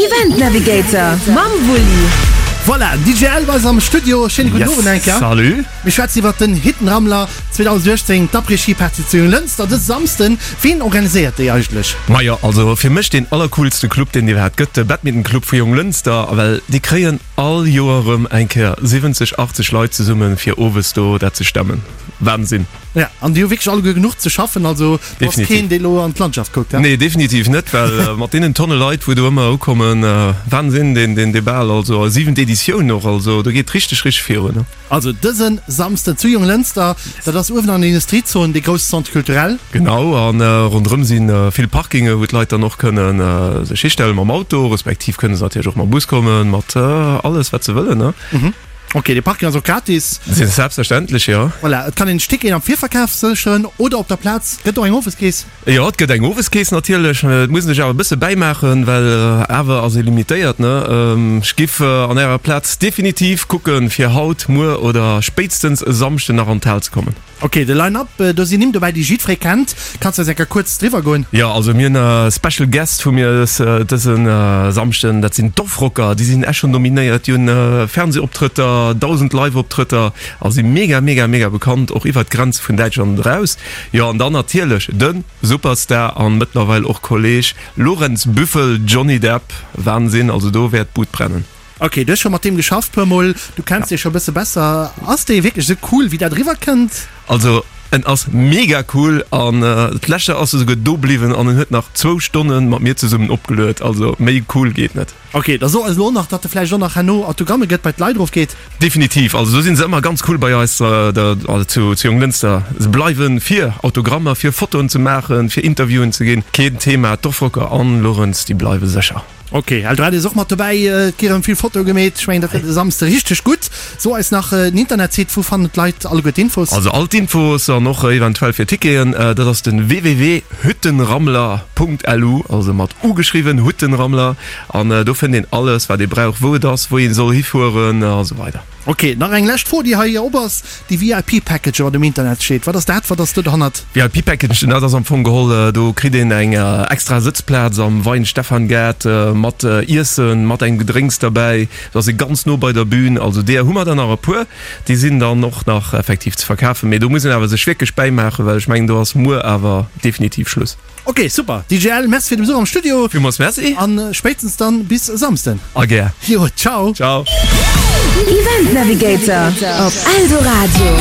Event Navigator mam Wulli. Voilà, DJ Elb ass am Studio. Schéine gudden Owend eng Kéier. Salut. Mir schwätzen iwwert den Hittenrammler 2018, d'Après-Ski-Party zu Jonglënster dëse Samsden. Ween organiséiert déi eigentlech? Majo, also fir mech deen allercoolste Club deen et iwwerhaapt gëtt, de Badminton Club vu Jonglënster, well déi kréien all Joer erëm eng Kéier 70, 80 Leit zesummen fir owes do dat ze stemmen. Wahnsinn! Ja, an déi hu wierklech alleguer genuch ze schaffen, also do ass keen dee lo an d'Landschaft kuckt, he? Nee, definitiv net, well mat deenen Tonne Leit wou do ëmmer ukommen, Wahnsinn deen deen Bal, also siwent Editioun och, also do geet richteg richteg virun. Also dëse Samsden zu Jonglënster, dat ass uewen an der Industriezon, dee grousse Centre culturel. Genau, a ronderëm si vill Parkinge wou d'Leit dann och kënne sech histelle mam Auto, respektiv kënne se natierlech och mam Bus kommen, mat alles wat se wëllen, ne. Ok, dee Parking ass och gratis. Selbstverständlech, jo. Voilà, et kann een Ticketen am Virverkaf sécheren oder op der Plaz. Gëtt och eng Oweskeess? Jo, et gëtt eng Oweskeess natierlech. Et muss een sech awer e bësse bäimaachen, well awer ass ee limitéiert, ne? Ech giff an ärer Plaz definitiv kucken, fir haut, muer oder spéitstens e Samschden nach an d'Hal ze kommen. Ok, de Line-Up, do sinn Nimm dobäi, déi jiddweree kennt. Kanns de eis eng Kéier kuerz driwwer goen? Jo, also mir hunn e Special Guest hu mir dëse Samschden, dat sinn d'Offrocker. Déi sinn echt schonn nominéiert, déi hunn Fernsehoptrëtter, 1.000 Live-Optrëtter a si mega, mega, mega bekannt, och iwwert d'Grenze vun Däitschland eraus. Jo, an dann natierlech de Superstar an mëttlerweil och Kolleg Lorenz Büffel, Johnny Depp, Wahnsinn, also do wäert d'Bud brennen. Ok, du hues scho mat deem geschafft puer mol, du kenns dee scho bësse besser. Ass dee wierklech esou cool wéi dat eriwwer kënnt? Also en ass mega cool an d'lescht Joer ass e souguer do bliwwen an en huet nach zwou Stonne mat mir zesummen opgeluet, also méi cool geet net. Ok, da so eis elo nach, datt e vläicht och nach herno Autogramme gëtt, bei d'Leit erof geet. Definitiv, also do si se ëmmer ganz cool bei eis zu Jonglënster. Se bleiwen fir Autogrammer, fir Fotoen ze maachen, fir Interviewen ze ginn, keen Thema. D'Offrocker an Lorenz, déi bleiwe sécher. Ok, Eldoradio ass och mat dobäi, et gi rëm vill Fotoe gemeet. Ech mengen, dat gëtt e Samsde richteg gutt. So eis nach den Internetsite, wou fannen d'Leit alleguer d'Infos? Also all d'Infos an och eventuell fir Ticketen, dat ass den www.hüttenrammler.lu, also mat u geschriwwen, Huttenrammler, an do fënnt een alles wat ee brauch, wou et ass, wou ee soll hifueren a sou weider. Ok, nach eng lescht Fro déi hei op ass, Déi VIP Package wat um Internet steet, wat ass dat, wat ass do derhannert? VIP Package, dat ass am Fong geholl, do kritt een eng extra Sëtzplaz am Weihenstephan-Gaart mat Iessen, mat engem Gedrénks derbäi. Do ass ee ganz no bei der Bühn. Also deeër hu mer der nach e puer, déi sinn dann och nach effektiv ze verkafen. Mee do muss een awer sech wierklech bäimaachen, well ech mengen, do ass muer awer definitiv Schluss. Ok, super. DJ L, merci fir de Besuch am Studio. Villmools merci. An spéitstens dann bis e Samsden. A gär. Jo, ciao. Ciao. Event Navigator op Eldoradio.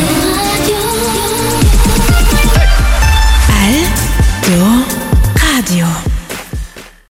Eldoradio.